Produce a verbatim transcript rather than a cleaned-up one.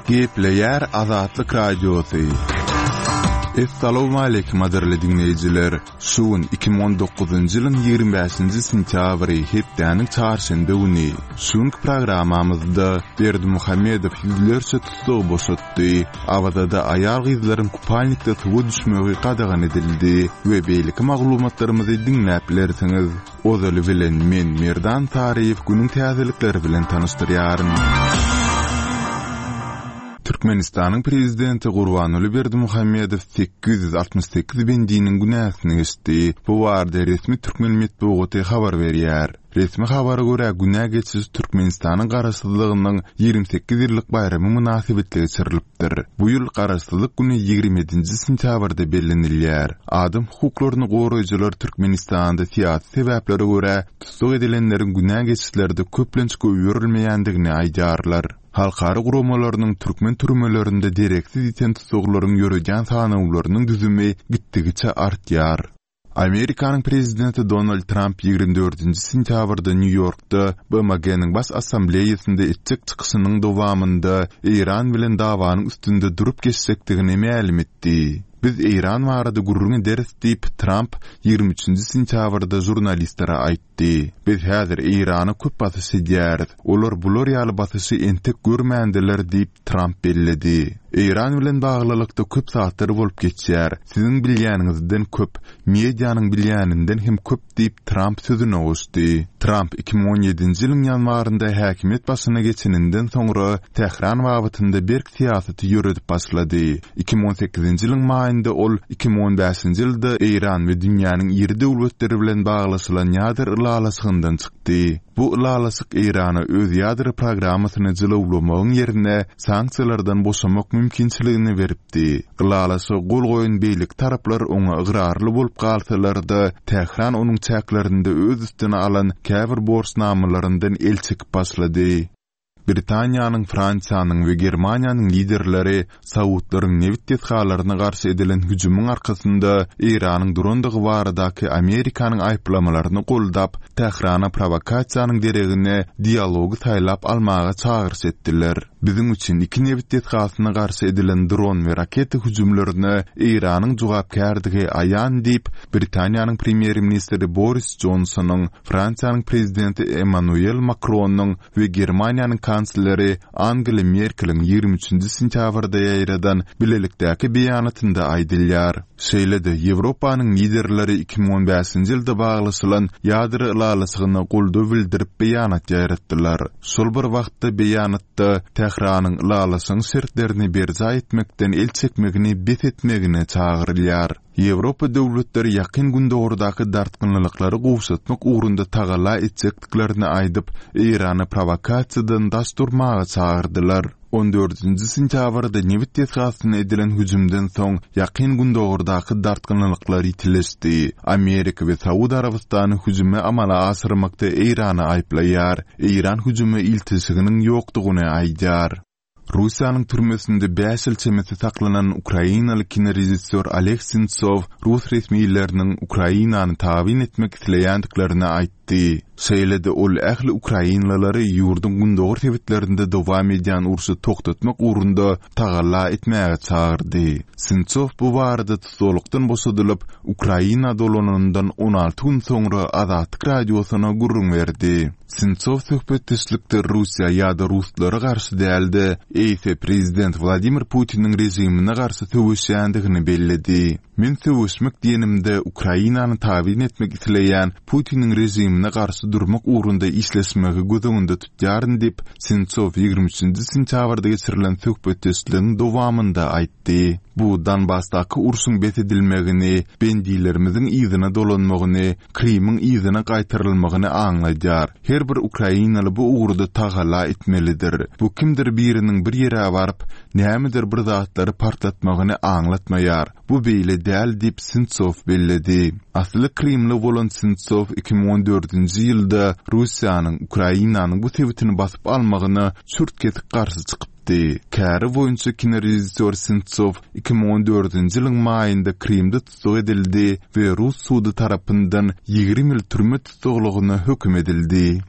Gepleýär Azatlyk Radiosy. Essalawmaleýkim gadyrly diňleýjiler! Şu gün iki müň on dokuzynjy ýylyň ýigrimi bäşinji sentýabry, hepdäniň çarşenbe güni. Şu günki programmamyzda Berdimuhamedow ýüzlerçe tussagy boşatdy, Awazada aýal-gyzlaryň kupalnikde suwa düşmegi gadagan edildi we beýleki maglumatlarymyzy diňläp bilersiňiz. Ozaly bilen men Merdan Saryýew günüň täzelikleri bilen tanyşdyrýaryn. Türkmenistanyň Prezidenti Gurbanguly Berdimuhamedow sekiz ýüz altmyş sekiz bendiniň günäsini geçdi. Bu barada resmi türkmen metbugaty habar berýär. Resmi habara görä, günä geçiş Türkmenistanyň Garaşsyzlygynyň ýigrimi sekiz ýyllyk baýramy mynasybetli geçirilipdir. Bu ýyl Garaşsyzlyk güni ýigrimi ýedinji sentýabrda bellenilýär. Adam hukuklaryny goraýjylar Türkmenistanda syýasy sebäplere görä tussag edilenleriň günä geçişlerde köplenç goýberilmeýändigini aýdýarlar. Halkara guramalarynyň türkmen türmelerinde dereksiz ýiten tussaglaryň ýöredýän sanawlarynyň düzümi gitdigiçe artýar. Amerikanyň prezidenti Donald Tramp ýigrimi dördünji sentýabrda Nýu-Ýorkda B M G-niň Baş Assambleýasynda etjek çykyşynyň dowamynda Eýran bilen dawanyň üstünde durup geçjekdigini mälim etdi. Biz Eýran barada gürrüň ederis diýip, Tramp ýigrimi üçünji sentýabrda žurnalistlere aýtdy. Biz häzir Eýrana köp basyş edýäris. Olar bular ýaly basyşy entek görmändiler diýip, Tramp belledi. Eýran bilen baglylykda köp zatlar bolup geçýär. Siziň bilýäniňizden köp, medianyň bilýäninden hem köp diýip, Tramp sözüne goşdy. Tramp iki müň on ýedinji ýylyň ýanwarynda häkimiýet başyna geçeninden soňra Tähran babatynda berk syýasaty ýöredip başlady. Iki müň on sekizinji ýylyň maýynda ol iki müň on bäşinji ýylda Eýran we dünýäniň iri döwletleri bilen baglaşylan ýadro ylalaşygyndan çykdy. Bu ylalaşyk Eýrana öz ýadro programmasyny jylawlamagyň ýerine sanksiýalardan boşamak mümkinçiligini beripdi. Ylalaşyga gol goýan beýleki taraplar oňa ygrarly bolup galsalar-da, Tähran onuň çäklerinde öz üstüne alan käbir borçnamalaryndan el çekip başlady. Britaniýanyň, Fransiýanyň we Germaniýanyň liderleri Saudlaryň nebit desgalaryna garşy edilen hüjümiň arkasynda Eýranyň durandygy baradaky Amerikanyň aýyplamalaryny goldap, Tährana prowokasiýanyň deregine dialogy saýlap almaga çagyryş etdiler. Biziň üçin iki nebit desgasyna garşy edilen dron we raketa hüjümlerine Eýranyň jogapkärdigi aýan diýip, Britaniýanyň premýer-ministri Boris Johnsonyň, Fransiýanyň prezidenti Emmanuel Makronyň we Germaniýanyň kansleri Angela Merkeliň ýigrimi üçünji sentýabrda ýaýradan bilelikdäki beýanatynda aýdylýar. Şeýle-de Ýewropanyň liderleri iki müň on bäşinji ýylda baglaşylan ýadro ylalaşygyna goldaw bildirip beýanat ýaýratdylar. Şol bir wagtda beýanatda Tähranyň ylalaşygyň şertlerini berjaý etmekden el çekmegini bes etmegine çagyrylýar. Ýewropa döwletleri ýakyn Gündogardaky dartgynlyklary gowşatmak ugrunda tagalla etjekdiklerini aýdyp, Eýrany prowokasiýadan daş durmaga çagyrdylar. On dördünji sentýabrda nebit desgasyna edilen hüjümden soň ýakyn Gündogardaky dartgynlyklar ýitileşdi. Amerika we Saud Arabystany hüjümi amala aşyrmakda Eýrany aýyplaýar. Eýran hüjüme ilteşiginiň ýokdugyny aýdýar. Russiýanyň türmesinde bäş ýyl çemesi saklanan ukrainaly kinorežissýor Oleg Sentsov rus resmileriniň Ukrainany tabyn etmek isleýändiklerini aýtdy. Şeýle-de ol ähli ukrainalylary ýurduň gündogar sebitlerinde dowam edýän urşy togtatmak ugrunda tagalla etmäge çagyrdy. Sentsov bu barada tussaglykdan boşadylyp, Ukraina dolananyndan on alty gün soňra Azatlyk radiosyna gürrüň berdi. Sentsov söhbetdeşlikde Russiýa ýa-da ruslara garşy däl-de, eýse prezident Wladimir Putiniň režimine garşy söweşýändigini belledi. Men söweşmek diýenimde Ukrainany tabyn etmek isleýän Putiniň režimine garşy durmak ugrunda işleşmegi göz öňünde tutýaryn diýip, Sentsov ýigrimi üçünji sentýabrda geçirilen söhbetdeşligiň dowamynda aýtdy. Bu Donbasdaky urşuň bes edilmegini, bendilerimiziň yzyna dolanmagyny, Krymyň yzyna gaýtarylmagyny aňladýar. Her bir ukrainaly bu ugurda tagalla etmelidir. Bu kimdir biriniň bir ýere baryp, nämedir bir zatlary partlatmagyny aňlatmaýar. Bu beýle däl diýip Sentsov belledi. Asly Krymly bolan Sentsov iki müň on dördünji ýylda Russiýanyň Ukrainanyň bu sebitini basyp almagyna çürt-kesik garşy çykypdy. Käri boýunça kinorežissýor Sentsov iki müň on dördünji ýylyň maýynda Krymda tussag edildi we rus sudy tarapyndan ýigrimi ýyl türme tussaglygyna höküm edildi.